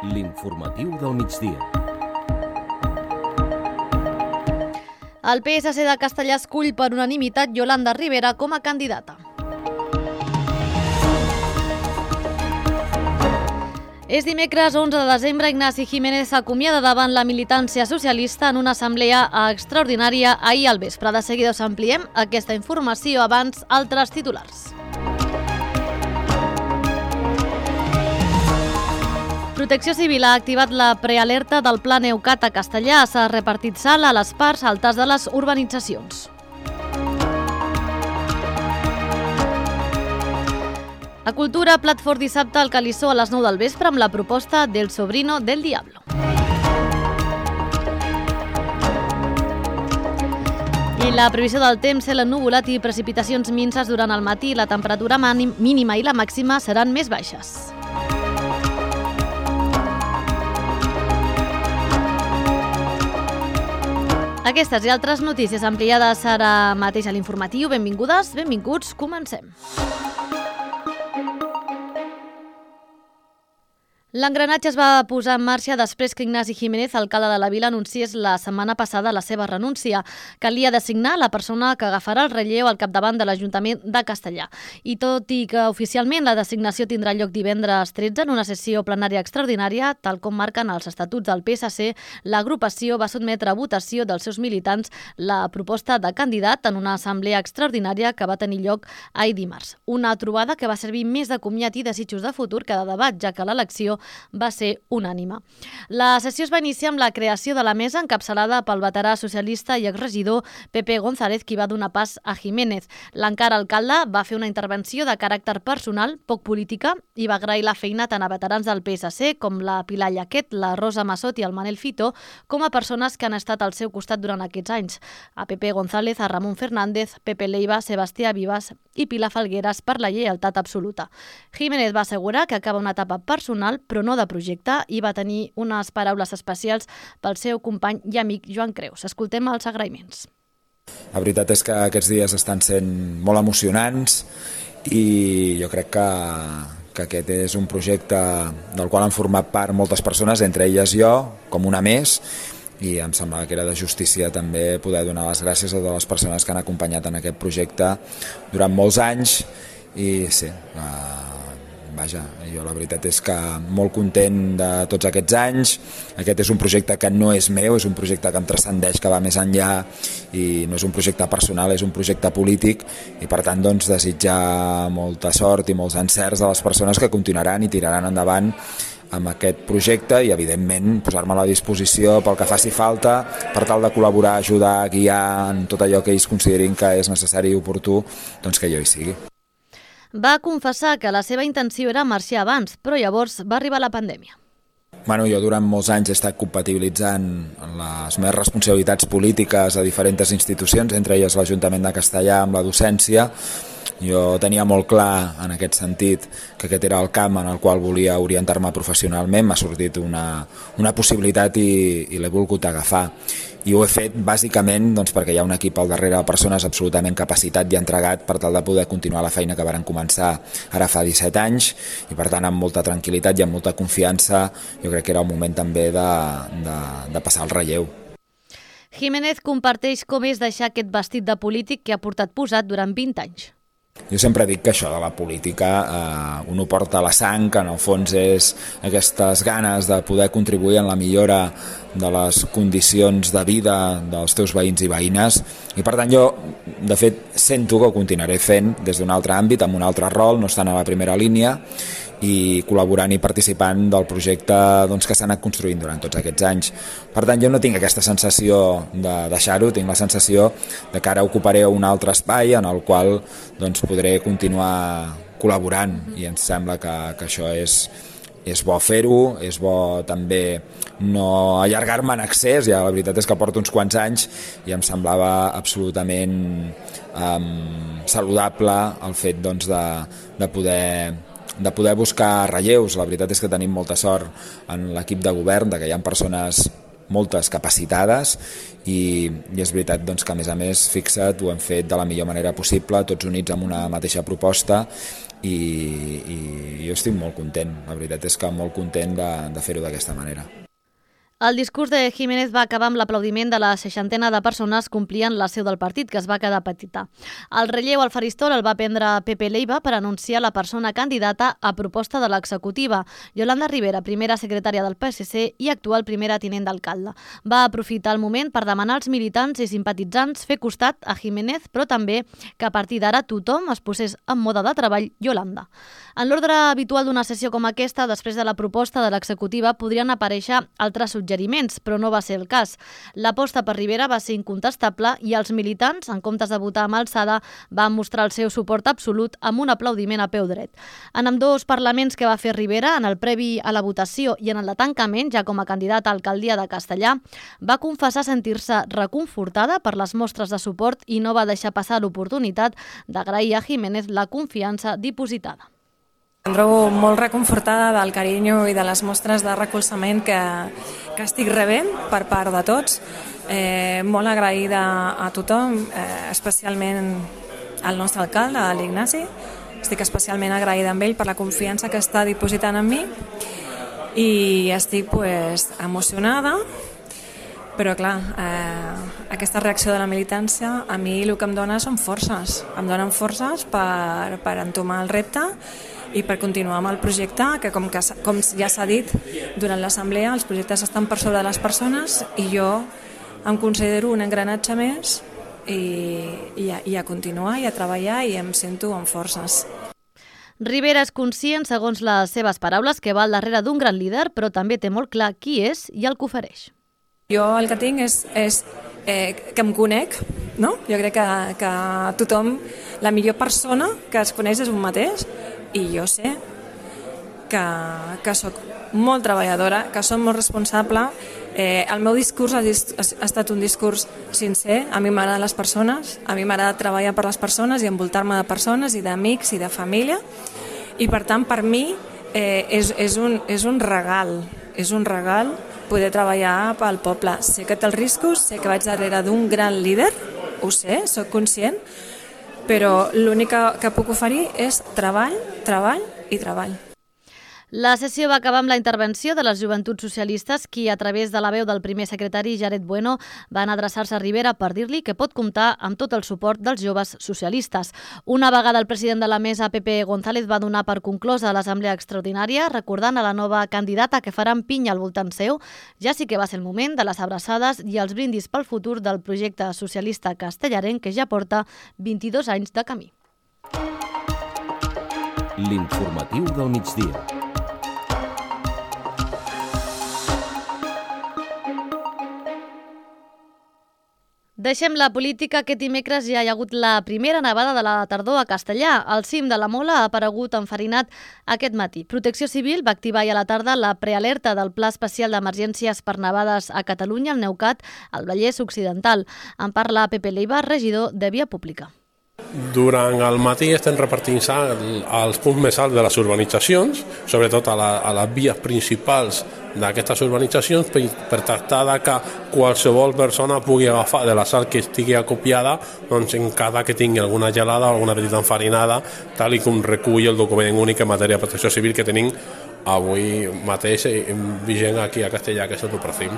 L'informatiu del migdia. El PSC de Castellar escull per unanimitat Yolanda Rivera com a candidata. És dimecres 11 de desembre, Ignasi Jiménez s'acomiada davant la militància socialista en una assemblea extraordinària ahir al vespre. De seguida us ampliem aquesta informació, abans altres titulars. Protecció Civil ha activat la prealerta del Pla Neucat a Castellar. S'ha repartit sal a les parts altes de les urbanitzacions. A Cultura, plat fort dissabte al Calissó a les 9 del vespre amb la proposta del Sobrino del Diablo. I la previsió del temps, cel ennuvolat i precipitacions minses durant el matí. La temperatura mínima i la màxima seran més baixes. Aquestes i altres notícies ampliades ara mateix a l'informatiu. Benvingudes, benvinguts, comencem. L'engranatge es va posar en marxa després que Ignasi Jiménez, alcalde de la vila, anunciés la setmana passada la seva renúncia. Calia designar la persona que agafarà el relleu al capdavant de l'Ajuntament de Castellar. I tot i que oficialment la designació tindrà lloc divendres 13 en una sessió plenària extraordinària, tal com marquen els estatuts del PSC, l'agrupació va sotmetre a votació dels seus militants la proposta de candidat en una assemblea extraordinària que va tenir lloc ahir dimarts. Una trobada que va servir més de comiat i desitjos de futur que de debat, ja que l'elecció va ser unànime. La sessió es va iniciar amb la creació de la mesa encapçalada pel veterà socialista i exregidor Pepe González, qui va donar pas a Jiménez. L'encara alcalde va fer una intervenció de caràcter personal, poc política, i va agrair la feina tant a veterans del PSC com la Pilar Llaquet, la Rosa Massot i el Manel Fito, com a persones que han estat al seu costat durant aquests anys. A Pepe González, a Ramon Fernández, Pepe Leiva, Sebastià Vivas i Pilar Falgueras per la lleialtat absoluta. Jiménez va assegurar que acaba una etapa personal, però no de projecte, i va tenir unes paraules especials pel seu company i amic Joan Creus. Escoltem els agraïments. La veritat és que aquests dies estan sent molt emocionants i jo crec que aquest és un projecte del qual han format part moltes persones, entre elles jo, com una més, i em semblava que era de justícia també poder donar les gràcies a totes les persones que han acompanyat en aquest projecte durant molts anys. I sí, vaja, jo la veritat és que molt content de tots aquests anys. Aquest és un projecte que no és meu, és un projecte que em transcendeix, que va més enllà, i no és un projecte personal, és un projecte polític, i per tant doncs, desitjar molta sort i molts encerts a les persones que continuaran i tiraran endavant amb aquest projecte i, evidentment, posar-me a la disposició pel que faci falta per tal de col·laborar, ajudar, guiar en tot allò que ells considerin que és necessari i oportú, doncs que jo hi sigui. Va confessar que la seva intenció era marxar abans, però llavors va arribar la pandèmia. Jo durant molts anys he estat compatibilitzant les meves responsabilitats polítiques a diferents institucions, entre elles l'Ajuntament de Castellar amb la docència. Jo tenia molt clar en aquest sentit que aquest era el camp en el qual volia orientar-me professionalment. M'ha sortit una possibilitat i l'he volgut agafar. I ho he fet bàsicament doncs, perquè hi ha un equip al darrere de persones absolutament capacitat i entregat per tal de poder continuar la feina que varen començar ara fa 17 anys, i per tant amb molta tranquil·litat i amb molta confiança jo crec que era el moment també de passar el relleu. Jiménez comparteix com és deixar aquest vestit de polític que ha portat posat durant 20 anys. Jo sempre dic que això de la política un ho porta a la sang, que en el fons és aquestes ganes de poder contribuir en la millora de les condicions de vida dels teus veïns i veïnes, i per tant jo de fet sento que ho continuaré fent des d'un altre àmbit, amb un altre rol, no estant a la primera línia, i col·laborant i participant del projecte doncs, que s'ha anat construint durant tots aquests anys. Per tant, jo no tinc aquesta sensació de deixar-ho, tinc la sensació de que ara ocuparé un altre espai en el qual doncs, podré continuar col·laborant, i em sembla que això és bo fer-ho, és bo també no allargar-me en excés. Ja la veritat és que porto uns quants anys i em semblava absolutament saludable el fet doncs, de poder buscar relleus. La veritat és que tenim molta sort en l'equip de govern, de que hi ha persones moltes capacitades i és veritat doncs, que a més fixa't, ho hem fet de la millor manera possible, tots units amb una mateixa proposta i jo estic molt content, la veritat és que molt content de fer-ho d'aquesta manera. El discurs de Jiménez va acabar amb l'aplaudiment de la 60ena de persones que omplien la seu del partit, que es va quedar petita. El relleu al faristol el va prendre Pepe Leiva per anunciar la persona candidata a proposta de l'executiva, Yolanda Rivera, primera secretària del PSC i actual primera tinent d'alcalde. Va aprofitar el moment per demanar als militants i simpatitzants fer costat a Jiménez, però també que a partir d'ara tothom es posés en mode de treball Yolanda. En l'ordre habitual d'una sessió com aquesta, després de la proposta de l'executiva, podrien aparèixer altres suggeriments, però no va ser el cas. L'aposta per Rivera va ser incontestable i els militants, en comptes de votar amb alçada, van mostrar el seu suport absolut amb un aplaudiment a peu dret. En ambdós parlaments que va fer Rivera, en el previ a la votació i en el de tancament, ja com a candidat a alcaldia de Castellà, va confessar sentir-se reconfortada per les mostres de suport i no va deixar passar l'oportunitat d'agrair a Jiménez la confiança dipositada. Em trobo molt reconfortada del carinyo i de les mostres de recolzament que estic rebent per part de tots. Molt agraïda a tothom, especialment al nostre alcalde, a l'Ignasi. Estic especialment agraïda amb ell per la confiança que està dipositant en mi i estic emocionada, però clar, aquesta reacció de la militància a mi el que em dona són forces. Em donen forces per entomar el repte i per continuar amb el projecte, que com ja s'ha dit durant l'assemblea, els projectes estan per sobre de les persones i jo em considero un engranatge més i a continuar i a treballar i em sento amb forces. Rivera és conscient, segons les seves paraules, que va al darrere d'un gran líder, però també té molt clar qui és i el que ofereix. Jo el que tinc és que em conec, no? Jo crec que tothom, la millor persona que es coneix és un mateix i jo sé que soc molt treballadora, que soc molt responsable. El meu discurs ha estat un discurs sincer. A mi m'agraden les persones, a mi m'agrada treballar per les persones i envoltar-me de persones i d'amics i de família i per tant per mi és un regal poder treballar pel poble. Sé que té els riscos, sé que vaig darrere d'un gran líder, ho sé, soc conscient, però l'únic que puc oferir és treball, treball i treball. La sessió va acabar amb la intervenció de les Joventuts Socialistes, qui, a través de la veu del primer secretari, Jared Bueno, van adreçar-se a Rivera per dir-li que pot comptar amb tot el suport dels joves socialistes. Una vegada el president de la mesa, Pepe González, va donar per conclosa l'assemblea extraordinària, recordant a la nova candidata que faran pinya al voltant seu. Ja sí que va ser el moment de les abraçades i els brindis pel futur del projecte socialista castellarenc, que ja porta 22 anys de camí. L'informatiu del migdia. Deixem la política. Aquest dimecres ja hi ha hagut la primera nevada de la tardor a Castellà. El cim de la Mola ha aparegut enfarinat aquest matí. Protecció Civil va activar ja a la tarda la prealerta del Pla Especial d'Emergències per nevades a Catalunya, al Neucat, al Vallès Occidental. En parla Pepe Leiva, regidor de Via Pública. Durant el matí estem repartint als punts més alts de les urbanitzacions, sobretot a les vies principals d'aquestes urbanitzacions, per tractar que qualsevol persona pugui agafar de la sal que estigui acopiada, doncs en cada que tingui alguna gelada o alguna petita enfarinada, tal com recull el document únic en matèria de protecció civil que tenim avui mateix vigent aquí a Castellà, que és el Tupracim.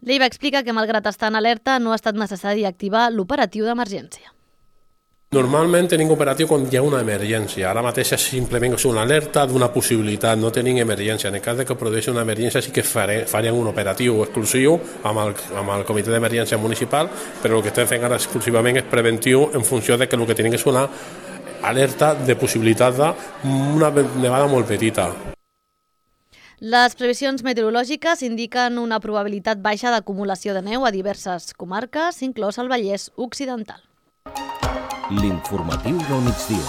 Leiva explica que, malgrat estar en alerta, no ha estat necessari activar l'operatiu d'emergència. Normalment tenim operatiu quan hi ha una emergència. Ara mateix és simplement una alerta d'una possibilitat, no tenim emergència. En el cas que produeixi una emergència sí que farem un operatiu exclusiu amb el comitè d'emergència municipal, però el que estem fent ara exclusivament és preventiu en funció de que el que tenim és una alerta de possibilitat d'una nevada molt petita. Les previsions meteorològiques indiquen una probabilitat baixa d'acumulació de neu a diverses comarques, inclòs el Vallès Occidental. L'informatiu del migdia.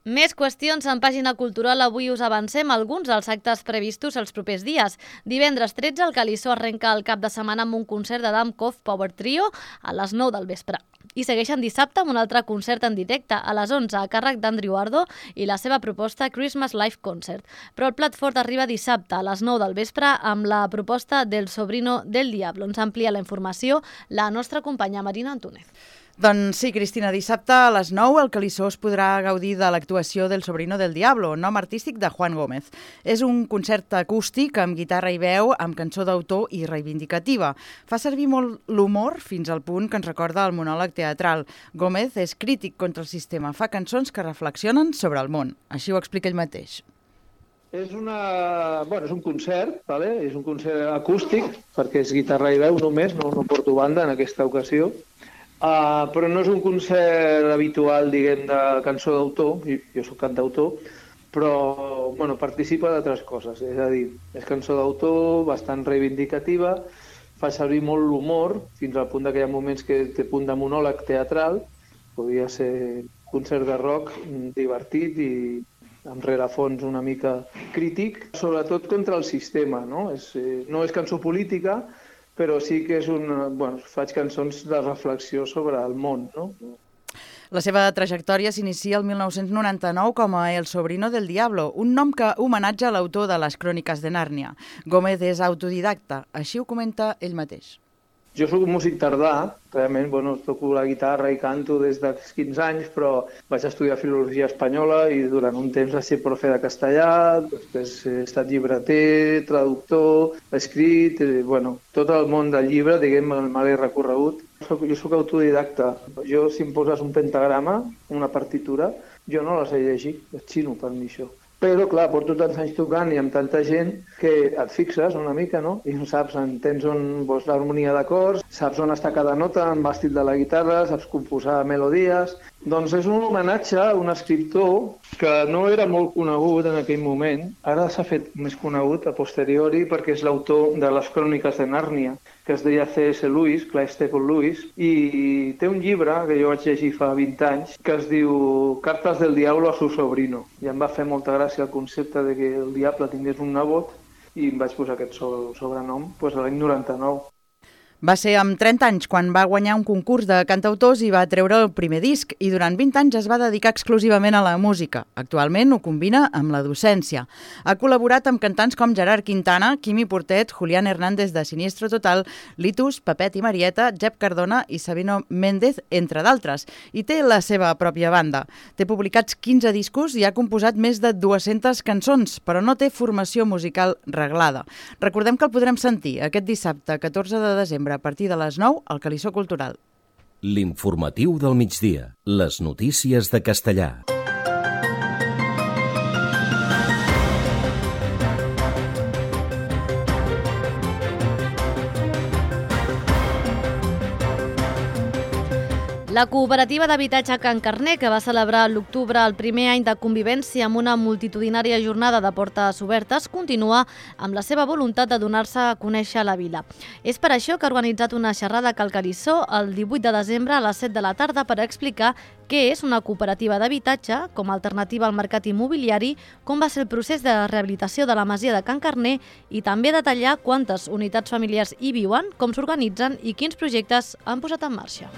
Més qüestions en pàgina cultural. Avui us avancem alguns dels actes previstos els propers dies. Divendres 13, el Calissó arrenca el cap de setmana amb un concert de Damkov Power Trio a les 9 del vespre. I segueixen dissabte amb un altre concert en directe a les 11 a càrrec d'Andrew Ardo i la seva proposta Christmas Live Concert. Però el plat fort arriba dissabte a les 9 del vespre amb la proposta del Sobrino del Diablo. Ens amplia la informació la nostra companya Marina Antúnez. Doncs sí, Cristina, dissabte a les 9 el Calissó es podrà gaudir de l'actuació del Sobrino del Diablo, nom artístic de Juan Gómez. És un concert acústic amb guitarra i veu, amb cançó d'autor i reivindicativa. Fa servir molt l'humor fins al punt que ens recorda el monòleg teatral. Gómez és crític contra el sistema, fa cançons que reflexionen sobre el món. Així ho explica ell mateix. És un concert, vale? És un concert acústic, perquè és guitarra i veu només, no porto banda en aquesta ocasió. Però no és un concert habitual, diguem, de cançó d'autor, jo soc cantautor, però participa d'altres coses, és a dir, és cançó d'autor bastant reivindicativa, fa servir molt l'humor, fins al punt que hi ha moments que té punt de monòleg teatral, podria ser concert de rock divertit i amb rerefons una mica crític, sobretot contra el sistema, no? No és cançó política, però sí que és faig cançons de reflexió sobre el món, no? La seva trajectòria s'inicia el 1999 com a El Sobrino del Diablo, un nom que homenatja l'autor de les Cròniques de Nàrnia. Gómez és autodidacta, així ho comenta ell mateix. Jo soc un músic tardà, realment toco la guitarra i canto des dels 15 anys, però vaig estudiar filologia espanyola i durant un temps vaig ser profe de castellà, després he estat llibreter, traductor, escrit, tot el món del llibre, diguem, me l'he recorregut. Jo soc autodidacta. Jo, si em poses un pentagrama, una partitura, jo no la sé llegir, és xino per mi això. Però, clar, porto tants anys tocant i amb tanta gent que et fixes una mica, no? I saps, entens on vols l'harmonia d'acords, saps on està cada nota, en l'estil de la guitarra, saps composar melodies. Doncs és un homenatge a un escriptor que no era molt conegut en aquell moment. Ara s'ha fet més conegut a posteriori perquè és l'autor de les Cròniques de Nàrnia, que es deia C.S. Lewis, Clive Staple Lewis, i té un llibre que jo vaig llegir fa 20 anys que es diu Cartas del Diablo a su sobrino. I em va fer molta gràcia el concepte de que el diable tingués un nebot i em vaig posar aquest sobrenom l'any 99. Va ser amb 30 anys quan va guanyar un concurs de cantautors i va treure el primer disc i durant 20 anys es va dedicar exclusivament a la música. Actualment ho combina amb la docència. Ha col·laborat amb cantants com Gerard Quintana, Quimi Portet, Julián Hernández de Siniestro Total, Litus, Pepet i Marieta, Jep Cardona i Sabino Méndez, entre d'altres, i té la seva pròpia banda. Té publicats 15 discos i ha composat més de 200 cançons, però no té formació musical reglada. Recordem que el podrem sentir aquest dissabte, 14 de desembre, a partir de les 9 al Calissó Cultural. L'informatiu del migdia. Les notícies de Castellà. La cooperativa d'habitatge Can Carner, que va celebrar a l'octubre el primer any de convivència amb una multitudinària jornada de portes obertes, continua amb la seva voluntat de donar-se a conèixer a la vila. És per això que ha organitzat una xerrada a Cal Calissó el 18 de desembre a les 7 de la tarda per explicar què és una cooperativa d'habitatge com a alternativa al mercat immobiliari, com va ser el procés de rehabilitació de la masia de Can Carner i també detallar quantes unitats familiars hi viuen, com s'organitzen i quins projectes han posat en marxa.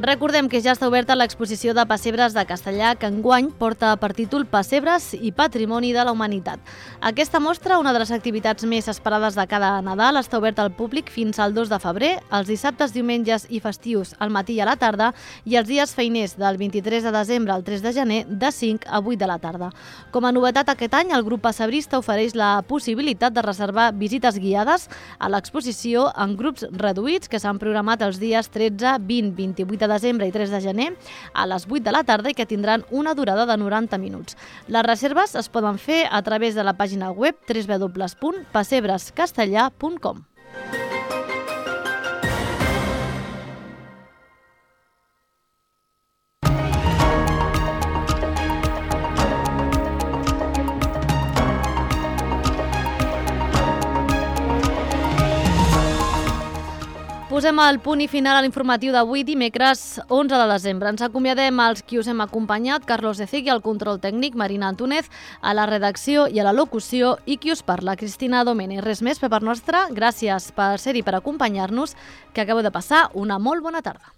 Recordem que ja està oberta l'exposició de pessebres de Castellà, que enguany porta per títol Pessebres i Patrimoni de la Humanitat. Aquesta mostra, una de les activitats més esperades de cada Nadal, està oberta al públic fins al 2 de febrer, els dissabtes, diumenges i festius al matí i a la tarda i els dies feiners del 23 de desembre al 3 de gener de 5 a 8 de la tarda. Com a novetat aquest any, el grup pessebrista ofereix la possibilitat de reservar visites guiades a l'exposició en grups reduïts que s'han programat els dies 13, 20, 28 de desembre i 3 de gener a les 8 de la tarda i que tindran una durada de 90 minuts. Les reserves es poden fer a través de la pàgina web www.pessebrescastellà.com. Posem el punt i final a l'informatiu d'avui, dimecres 11 de desembre. Ens acomiadem als qui us hem acompanyat, Carlos de Cigui, al control tècnic, Marina Antúnez, a la redacció i a la locució, i qui us parla, Cristina Domènech. Res més per part nostra, gràcies per ser-hi, per acompanyar-nos, que acabeu de passar una molt bona tarda.